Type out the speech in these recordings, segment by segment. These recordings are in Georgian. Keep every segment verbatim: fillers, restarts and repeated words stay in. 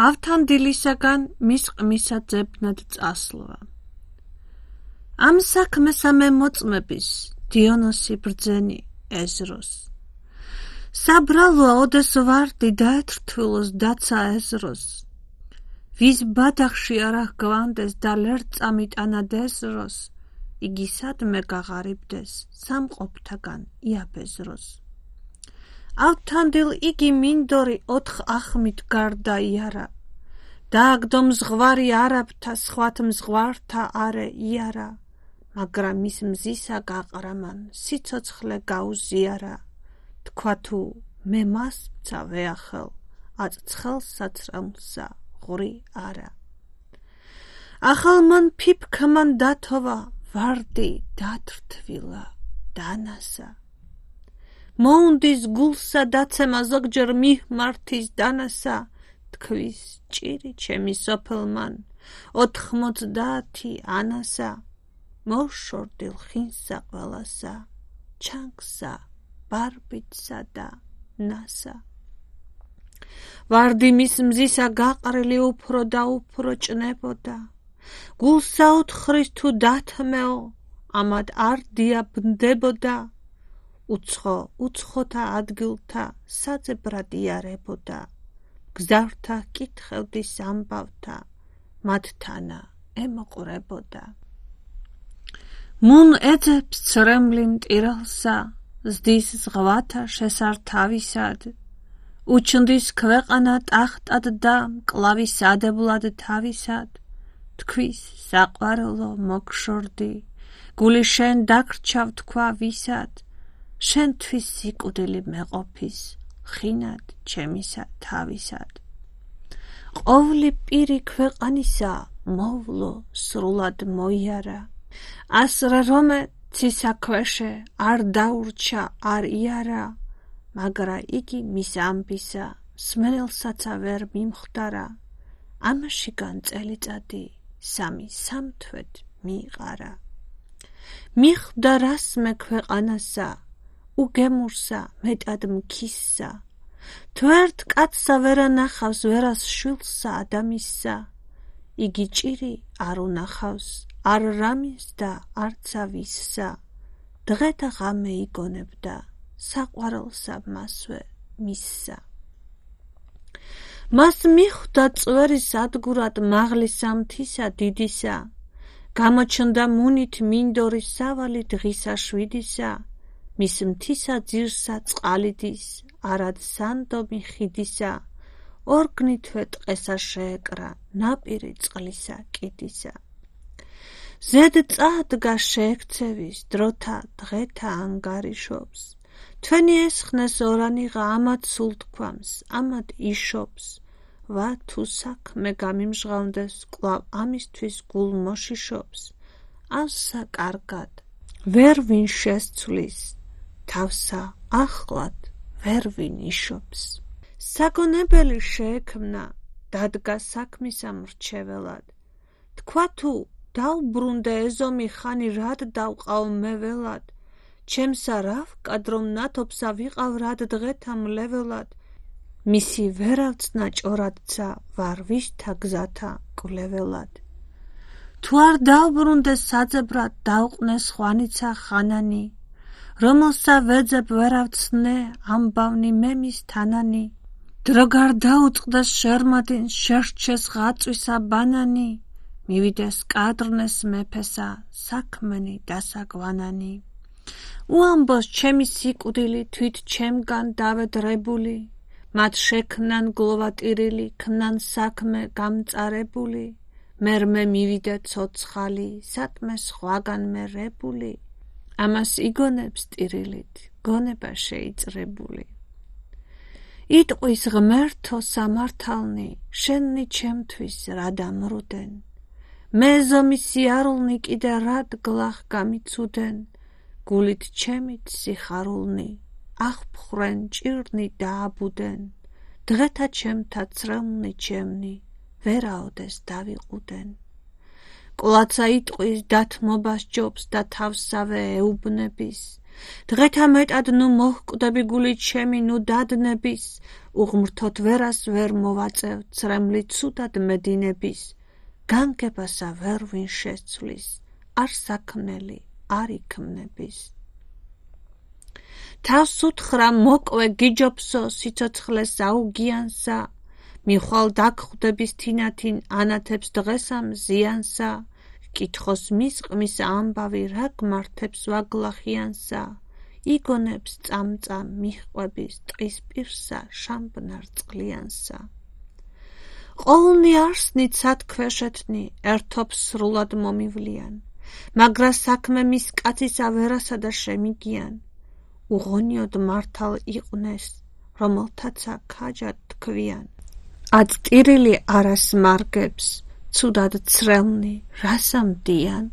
ავთანდილისაგან მის ყმისა ძებნად წასვლვა. ამ საქმესა მე მოწმების დიონოსი ბრძენი ეზროს. საბრალოა ოდეს ვარდი დაეთრთვილოს დაცა ეზროს. ვის ბადახში არა გვანდეს და ლერ წამიტანად ეზროს, იგი სადმე გაღარიბდეს სამყოფთაგან იაბეზროს. ავთანდილ იგი მინდორი ოთხ ახმით გარდა იარა, დააგდო მზღვარი არაბთა სხვათ მზღვართა არე იარა, მაგრამ მის მზისა გაყრამან სიცოცხლე გაუზიარა, თქვა თუ მე მას მცა ვეახელ, აწ ცხელსაცრემსა ღური არა. ახალ მან ფიფქმან დათოვა, ვარდი დათრთვილა დანასა. მოუნდის გულსა დაცემა ზოგჯერ მihმართის დანასა, თქვის ჭირი ჩემი სოფელმან ოთხმოცდაათი ანასა. მოშორდილ ხინსა ყველასა, ჩანგსა, ბარბიცსა და ნასა. ვარდი მის მზისა გაყრილი უფრო და უფრო ჭნებოდა. გულსა ოთხრის თუ დათმეო, ამად არ დიაბნდებოდა. უცხო უცხოთა ადგილთა საძებრად იარებოდა. გზავრთა კითხევდის ამბავთა, მათთანა ემოყვრებოდა. მუნ ეძებს ცრემლი მტირალსა, ზდის ზღვათა შესართავისად. უჩნდის ქვეყანა ტახტად და მკლავის ადებლად თავისად. თქვის საყვარელო მოგშორდი, გული შენ დაგრჩავ თქვა ვისად. შენთვის სიკვდილი მეყოფის, ხინად ჩემისა თავისად. ყოვლი პირი ქვეყანისა მოვლო სრულად მოიარა. ასრე რომე ცისა ქვეშე არ დაურჩა არ იარა, მაგრა იგი მის ამბისა სმენელსაცა ვერ მიმხვდარა. ამაშიგან წელიწადი სამი სამთვეთ მიიყარა. მიხვდა რასმე ქვეყანასა, უგემურსა მეტად მქისსა. თუ ერთ კაცსა ვერა ნახავს ვერას შვილსა ადამისსა, იგი ჭირი არ უნახავს არ რამის და არცა ვისსა. დღეთა ღამე იგონებდა საყვარელსა მასვე მისსა. მას მიხვდა წვერის ადგურად მაღლისა მთისა დიდისა. გამოჩნდა მუნით მინდორის სავალი დღისა შვიდისა. მის მთისა ძირსა წყალიდის, არად სანდომი ხიდისა. ორგნითვე ტყესა შეეკრა, ნაპირი წყლისა კიდისა. ზედ წაადგა შეექცევის, დროთა დღეთა ანგარიშობს. თქვენი ესხნეს ორანიღა, ამად სულ თქვამს, ამად იშობს. ვა თუ საქმე გამიმჟღავნდეს, კვლავ ამისთვის გულ მოშიშობს. ავსა კარგად, ვერ ვინ შესცვლის, თავსა ახლად ვერ ვინ იშობს. საგონებელი შეექმნა, დადგა საქმისა მრჩეველად. თქვა თუ დავბრუნდე ეზომი ხანი რად დავყავ მე ველად. ჩემსა რა ვკადრომ ნათობსა ვიყავ რად დღეთა მლეველად. მისი ვერავცნა ჭორადცა ვარ ვისთა გზათა კვლეველად. თუ არ დავბრუნდე საძებრად დავყნეს ხვანიცა ხანანი. რომელსა ვეძებ ვერავცნე ამბავნი მე მის თანანი. დრო გარ დაუწყდეს შერმადინ შერჩეს ღაწვისა ბანანი. მივიდეს კადრნეს მეფესა საქმენი დასაგვანანი. უამბოს ჩემი სიკვდილი თვით ჩემგან დავედრებული. მათ შექმნან გლოვატირილი, ქმნან საქმე გამწარებული. მერმე მივიდე ცოცხალი, სათმე სხვაგან მე რებული. ამას იგონებს ტირილით, გონება შეიწრებული. იტყვის ღმერთო სამართალნი, შენი ჩემთვის რა დამრუდენ. მე ზომი სიარულნი კიდე რად გლახ გამიცუდენ. გულით ჩემით სიხარულნი, აღფხრენ ჭირნი დააბუდენ. დღეთა ჩემთა ცრემლნი ჩემნი, ვერაოდეს დავიყუდენ. კვლაცა იტყვის დათმობას ჯობს და თავსავე ეუბნების. დღეთა მეტად ნუ მოჰკვდები გული ჩემი, ნუ დადნების, უღმრთოთ ვერას ვერ მოვაწევ, ცრემლი ცუდად მედინების, განგებასა ვერ ვინ შეცვლის, არ საქმნელი, არ იქმნების. თავს უთხრა მოკვე გიჯობსო, სიცოცხლეს აუგიანსა, მიხვალ დაგხვდების თინათინ, ანათებს დღესამ ზიანსა, კითხოს მისყმის ამბავი, რა გმართებს ვაგლახიანსა, იგონებს წამწამ მიჰყვების ტყის პირსა, შამბნარ წყლიანსა. ყოვლნი არსნით სათქვეშეთნი, ერთობს სრულად მომივლიან, მაგრა საქმე მის კაცისა ვერასა და შემიგიან, უღონიოდ მართალ იყვნეს, რომელთაცა ქაჯად თქვიან. ად ტირილი არას მარგებს, ცუდად ცრელნი, რასამდიან.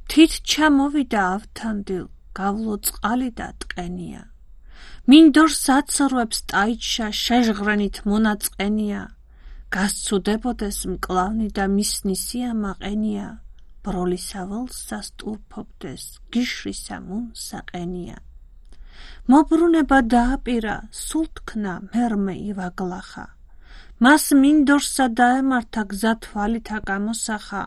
თით ჩამოვიდა ავთანდილ, გავლო წყალი და ტყენია. მინდორს აცრუებს ტაიჩა, შეჟღრენით მონაწყენია. გასცუდებოდეს მკლავნი და მისნისია მაყენია. ბროლისა ველსა სტურფობდეს, გიშრისა მუნსაყენია. მობრუნება დააპირა, სულ თქნა მერმე ივაგლახა. მას მინდორსა დაემართა გზა თვალითა გამოსახა,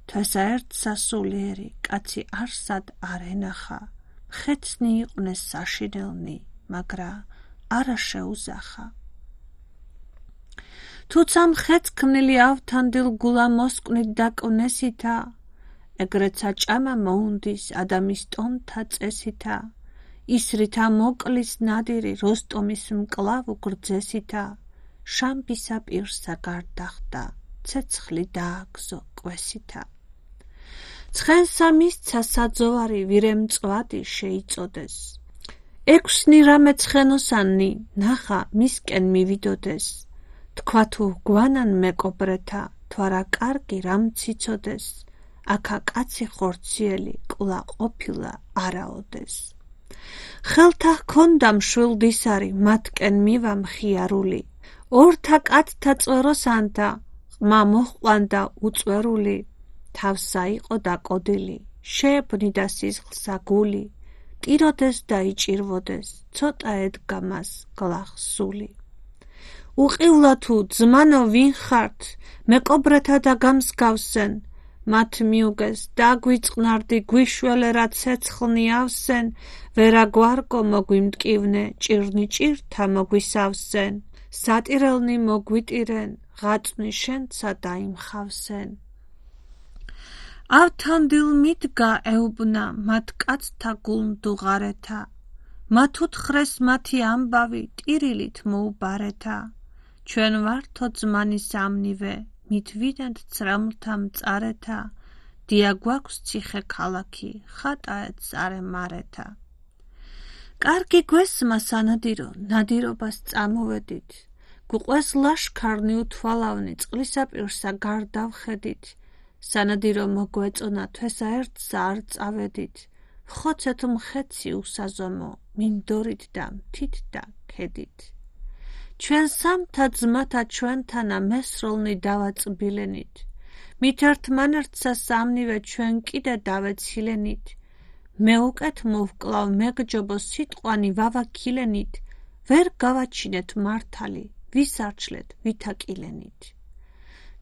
თვესა ერთსა სულიერი, კაცი არსად არ ენახა. ხეცნი იყვნეს საშინელნი, მაგრა არა შეუზახა. თუცა მხეცქმნილი ავთანდილ გულა მოსკვნით დაკვნესითა, ეგრეცა ჭამა მოუნდის ადამის ტონთა წესითა, ისრითა მოკლის ნადირი როსტომის მკლავ გრძესითა, შამბისა პირსა გარდახდა, ცეცხლი დააგზო კვესითა. ცხენსა მისცა საძოვარი, ვირემწვადი შეიწოდეს. ექვსნი რამე ცხენოსანი, ნახა მისკენ მივიდოდეს. თქვა თუ გვანან მეკობრეთა, თვარა კარგი რამ ციცოდეს, აქა კაცი ხორციელი, კლა ყოფილა არაოდეს. ხელთა ჰქონდა მშვილდისარი, მათკენ მივა მხიარული, ორთა კაცთა წვეროსანთა, ყმა მოჰყვანდა უწვერული, თავსა იყო დაკოდილი, შეებნიდა სისხლსა გული, ტიროდეს და იჭირვოდეს, ცოტა ედგა მას გლახსული. უყივლა თუ ძმანო ვინ ხართ, მეკობრეთა და გამსგავსენ, მათ მიუგეს დაგვიწყნარდი გვიშველერა ცეცხლნი ავსენ, ვერა გვარგო მოგვიმტკივნე, ჭირნი ჭირთა მოგვისავსენ, სატირელნი მოგვიტირენ, ღაწვნი შენცა დაიმხავსენ. ავთანდილ მიდგა ეუბნა, მათ კაცთა გულმდუღარეთა, მათ უთხრეს მათი ამბავი, ტირილით მოუბარეთა. ჩვენ ვართო ძმანის ამნივე, მით ვიდენთ ცრემლთა მწარეთა, დია გვაქვს ციხე ქალაქი, ხატაეთ ზარემარეთა. კარგი გვესმა სანადირო, ნადირობას წამოვედით, გვყვეს ლაშქარნი უთვალავნი, წყლისაპირსა გარდავხედით, სანადირო მოგვეწონა, თვესა ერთსა არ წავედით, ხოცეთ მხეცი უსაზომო, მინდორით და მთით და ქედით. ჩვენ სამთა ძმათა ჩვენთანა მესროლნი დავაწბილენით, მით ერთმანერთსა სამნივე ჩვენ კიდე დავეცილენით, მე უკეთ მოვკლავ მეგჯობო სიტყვანი ვავაქილენით, ვერ გავაჩინეთ მართალი, ვისარჩლეთ ვითაკილენით.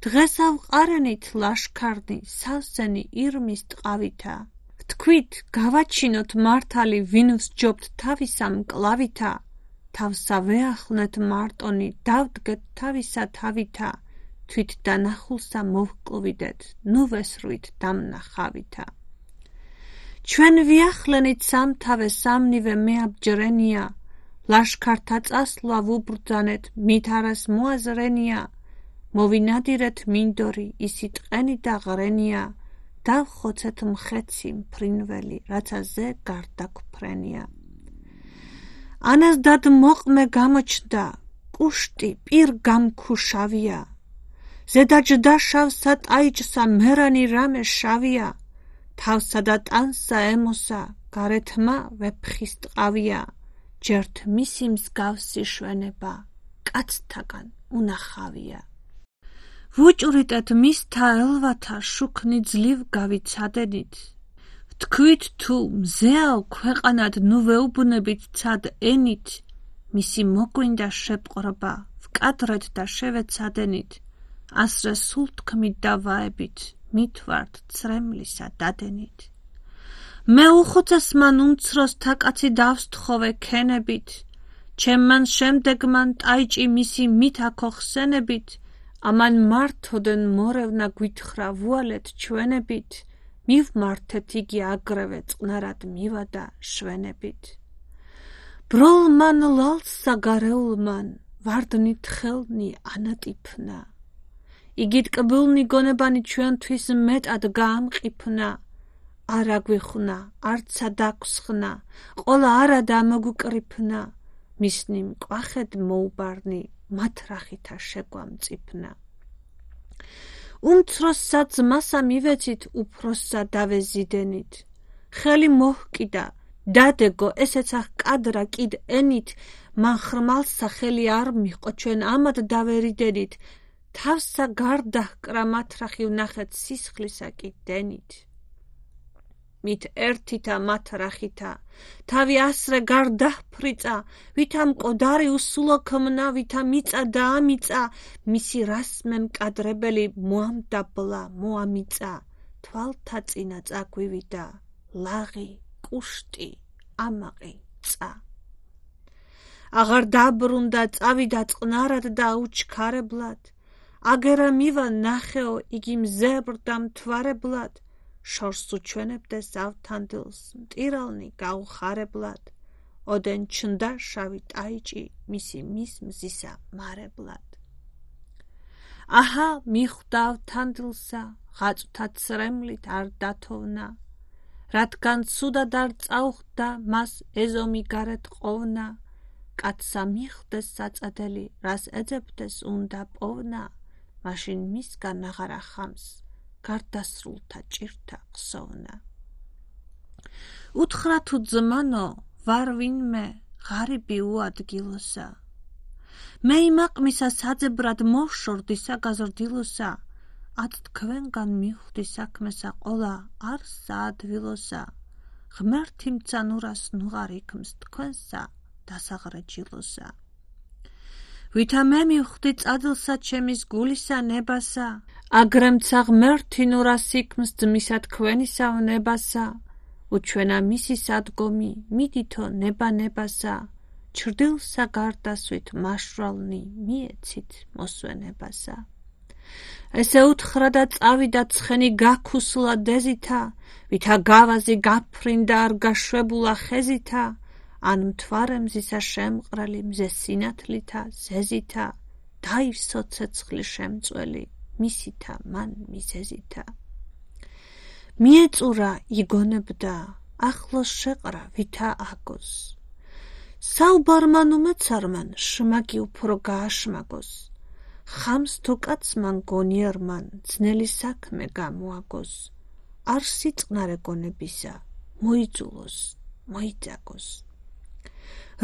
დღეს ავყარენით ლაშქარნი, სავსენი ირმის ტყავითა, ვთქვით გავაჩინოთ მართალი, ვინ ვსჯობთ თავისა მკლავითა, თავსა ვეახლნეთ მარტონი, დავდგეთ თავისა თავითა, თვით დანახულსა მოვკლვიდეთ, ნუ ვესრვით დამნახავითა. ჩვენ ვიახლენით სამთავე სამნივე მეაბჯრენია, ლაშქართა წასვლა ვუბრძანეთ, მით არას მოაზრენია, მოვინადირეთ მინდორი, ისი ტყენი და ღრენია, დავხოცეთ მხეცი მფრინველი, რაცა ზე გარდაგვფრენია. ანას დად მოყმე გამოჩნდა, კუშტი პირ გამქუშავია, ზედა ჯდა შავსა ტაიჭსა მერანი რამე შავია, თავსა და ტანსა ემოსა, გარეთმა ვეფხის ტყავია, ჯერთ მისი მსგავსი შვენება, კაცთაგან უნახავია. ვუჭვრიტეთ მისთა ელვათა, შუქნი ძლივ გავიცადენით, თქვით თუ მზეაო ქვეყანად ნუ ვეუბნებით ცად ენით, მისი მოგვინდა შეპყრობა, ვკადრეთ და შევეცადენით, ასრე სულ თქმით და ვაებით, მით ვართ ცრემლისა დადენით. მე უხუცეს მან უმცროსთა კაცი დავსთხოვე ქენებით, ჩემ მან შემდეგ მან ტაიჭი მისი მით აქოხსენებით, ამან მართოდენ მორევნა გვითხრა ვუალეთ ჩვენებით, მივმართეთ იგი აგრევე წყნარად მივადა შვენებით. ბროლმან ლალსა გარეულმან ვარდნით ხელნი ანატიფნა, იგი ტკბილნი გონებანი ჩვენთვის მეტად გაამყიფნა, არა გვიხნა, არცა დაგვსხნა, ყოლა არა დამოგვკრიფნა, მისნი მკვახედ მოუბარნი, მათ რახითა შეგვამწიფნა. უმცროსსა ძმასა მივეცით, უფროსსა დავეზიდენით. ხელი მოჰკიდა, დადეგო, ესეცა ჰკადრა კიდ ენით, მან ხრმალსა ხელი არ მიჰყო, ჩვენ ამად დავერიდენით. თავსა გარდა ჰკრა მათ რახი ვნახეთ სისხლისა კიდ დენით. მით ერთითა მათ რახითა, თავი ასრე გარდა ჰფრიწა, ვითა მკვდარი უსულო ქმნა, ვითა მიწა დაამიწა, მისი რასმე მკადრებელი მოამდაბლა, მოამიწა, თვალთა წინა წაგვივიდა, ლაღი, კუშტი, ამაყი, ცა. აღარ დაბრუნდა, წავიდა წყნარად და აუჩქარებლად, აგერა მივა ნახეო, იგი მზებრდა მთვარებლად, შორს უჩვენებდეს ავთანდილს, მტირალნი გაუხარებლად, ოდენ ჩნდა შავი ტაიჭი, მისი მის მზისა მარებლად. აჰა, მიხვდა ავთანდილსა, ღაწვთა ცრემლით არ დათოვნა, რადგან ცუდად არ წაუხდა, მას ეზომი გარეთ ყოფნა, კაცსა მიხვდეს საწადელი, რას ეძებდეს უნდა პოვნა, მაშინ მისგან აღარ ახამს, გარდასრულთა ჭირთა ხსოვნა. უთხრა თუ ძმანო, ვარ ვინმე, ღარიბი უადგილოსა. მე იმაყმისა საძებრად მოვშორდი საგაზრდილოსა, ად თქვენგან მიხვდი საქმესა ყოლა არ საადვილოსა, ღმერთი მცანურას ნუღარ იქმს თქვენსა დასაღრეჯილოსა. ვითა მე მიხვდი წადლსა ჩემის გულისა ნებასა, აგრემცა ღმერთი ნურას იქმს ძმისა თქვენისა ვნებასა, უჩვენა მისი სადგომი, მიდითო ნება ნებასა, ჩრდილსა გარდასვით მაშრალნი მიეცით მოსვენებასა. ესე უთხრა და წავიდა ცხენი გაქუსლა დეზითა, ვითა გავაზი გაფრინდა არ გაშვებულა ხეზითა, ან მთვარე მზისა შემყრელი მზე სინათლითა ზეზითა, დაივსო ცეცხლი შემწველი, მისითა მან მიზეზითა. მიეწურა იგონებდა, ახლოს შეყრა ვითა აგოს. საუბარმან უმეცარმან შმაგი უფრო გააშმაგოს, ხამს თუ კაცმან გონიარმან ძნელი საქმე გამოაგოს, არ სიწყნარე გონებისა, მოიძულოს, მოიძაგოს.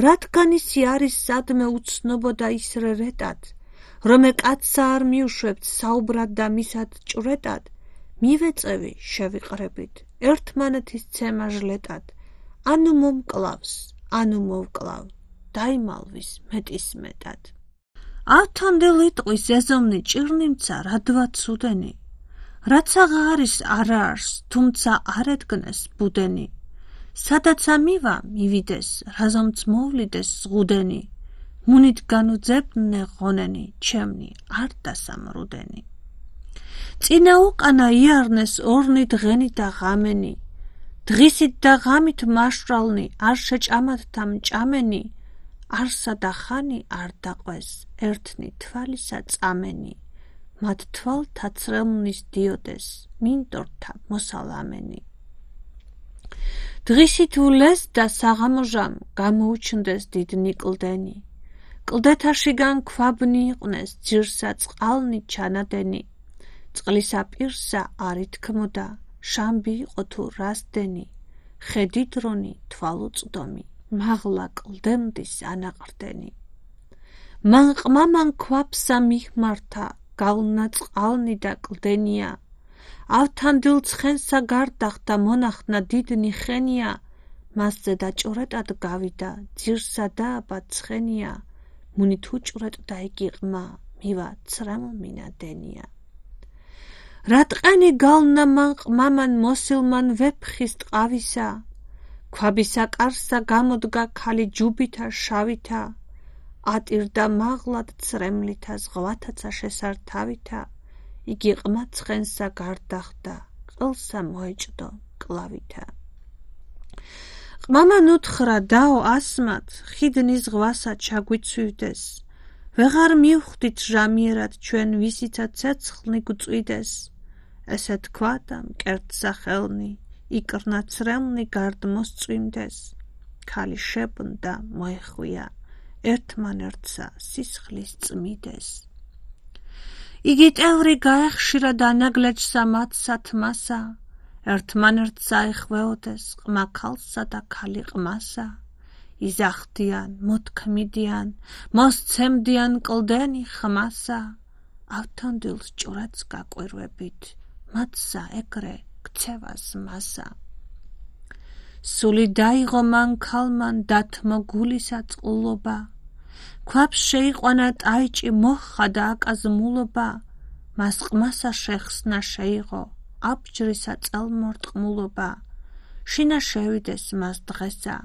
რადგან ისი არის სადმე უცნობო და ისრე რეტად, რომე კაცსა არ მიუშვებთ საუბრად და მისად ჭვრეტად, მივეწევი შევიყრებით, ერთმანეთის ცემა ჟლეტად, ანუ მომკლავს, ანუ მოვკლავ, დაიმალვის მეტის მეტად. ავთანდელი ტყვის ეზომნი ჭირნიმცა რადვა ცუდენი, რაც აღარის არა არს, თუმცა არ ედგნეს ბუდენი, სადაცა მივა მივიდეს, რაზომც მოვლიდეს ზღუდენი, მუნით განუძებნე ღონენი, ჩემნი არ დასამრუდენი. წინა უკანა იარნეს ორნი დღენი და ღამენი, დღისით და ღამით მაშრალნი, არ შეჭამათ და მჭამენი, არსა და ხანი არ დაყვეს, ერთნი თვალისა წამენი, მათ თვალთა ცრემლნის დიოდეს, მინდორთა მოსალამენი. დღისით ულეს და საღამოჟამ გამოუჩნდეს დიდნი კლდენი, კლდეთაშიგან ქვაბნი იყვნეს, ძირსა წყალნი ჩანადენი, წყლისა პირსა არ ითქმოდა, შამბი იყო თუ რასდენი, ხედი დრონი თვალუწვდომი, მაღლა კლდემდის ანაყრდენი. მან ყმამან ქვაბსა მიხმართა, გალნა წყალნი და კლდენია, ავთანდილ ცხენსა გარდახდა მონახნა დიდნი ხენია, მასზე დაჭურეტად გავიდა, ძირსა დააბა ცხენია, მუნით უჭვრეტდა იგი ყმა, მივა ცრემლმინადენია. რატყენი გალნა მან ყმამან მოსილმან ვეფხის ტყავისა, ქვაბისა კარსა გამოდგა ქალი ჯუბითა შავითა, ატირდა მაღლად ცრემლითა ზღვათაცა შესართავითა, იგი ყმა ცხენსა გარდახდა, ყელსა მოეჭდო კლავითა. ყმამან უთხრა დაო ასმათ, ხიდნის ზღვასა ჩაგვიცვივდეს, ვეღარ მივხვდით ჟამიერად ჩვენ ვისიცა ცეცხლნი გვწვიდეს, ესე თქვა და მკერდსა ხელნი, იკრნა ცრემლნი გარდ მოსწვიმდეს, ქალი შებრუნდა მოეხვია, ერთმანერთსა სისხლის წმიდეს. იგი ტევრი გაეხშირა დანაგლეჯსა მათსა თმასა, ერთმანერთსა ეხვეოდეს ყმა ქალსა და ქალი ყმასა, იზახდიან, მოთქმიდიან, მოსცემდიან კლდენი ხმასა, ავთანდილს ჭურეთს გაკვირვებით, მათსა ეგრე ქცევას მასა. სული დაიღო მან ქალმან დათმო გულისა წყულობა, ქვაბს შეიყვანა ტაიჭი მოჰყა და აკაზმულობა, მას ყმასა შეხსნა შეიღო, აბჯრისა წელმორტყმულობა, შინა შევიდეს მას დღესა,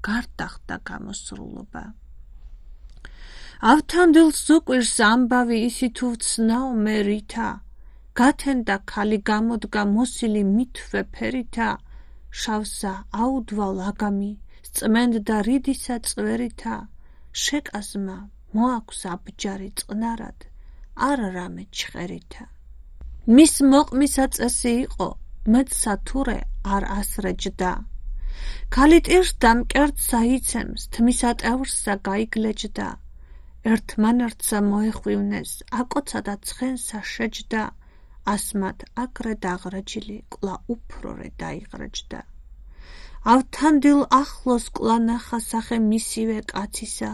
გარდახდა გამოსრულობა. ავთანდილს უყვირს ამბავი ისი თუ ვცნაო მე ρίთა, გათენდა ქალი გამოდგა მოსილი მითვე ფერითა, შავსა აუდვა ლაგამი, სწმენდა რიდისა წვერითა, შეკაზმა მოაქვს აბჯარი წყნარად, არ რამე ჩხერითა. მის მოყმისა წესი იყო, მეცსა თურე არ ასრეჯდა, ქალი ტირსდა მკერდსა იცემს, თმისა ტევრსა გაიგლეჯდა, ერთმანერთსა მოეხვივნეს, აკოცა და ცხენსა შეჯდა, ასმათ აკრე დაღრეჯილი, კლა უფრორე დაიღრეჯდა. ავთანდილ ახლოს კლა ნახა სახე მისივე კაცისა,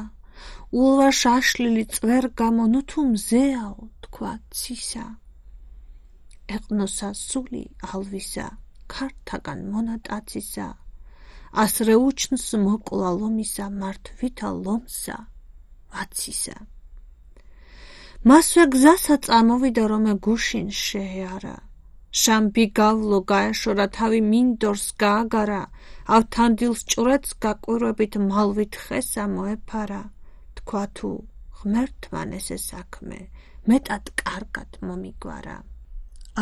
ულვა შაშლილი წვერ გამო ნუ თუ მზეაო, თქვა ცისა. ეყნოსა სული ალვისა, ქართაგან მონატაცისა, ასრე უჩნს მოკლა ლომისა, მართვითა ლომსა, ვაცისა. მასვე გზასა წამოვიდა რომე გუშინ შეეარა, შამბი გავლო გაეშორა თავი მინდორს გააგარა, ავთანდილს ჭურეთს გაკვირვებით მალვით ხესა მოეფარა, თქვა თუ ღმერთმან ესე საქმე, მეტად კარგად მომიგვარა.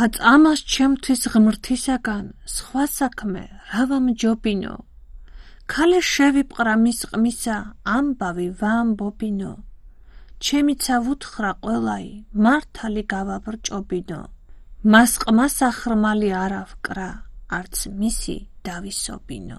აწამას ჩემთვის ღმრთისაგან, სხვა საქმე რა ვამჯობინო, ქალე შევიპყრა მის ყმისა, ამბავი ვაამბობინო, ჩემიცა ვუთხრა ყველაი, მართალი გავაბრჭობინო, მას ყმასა ხრმალი არა ვკრა, არც მისი დავისობინო.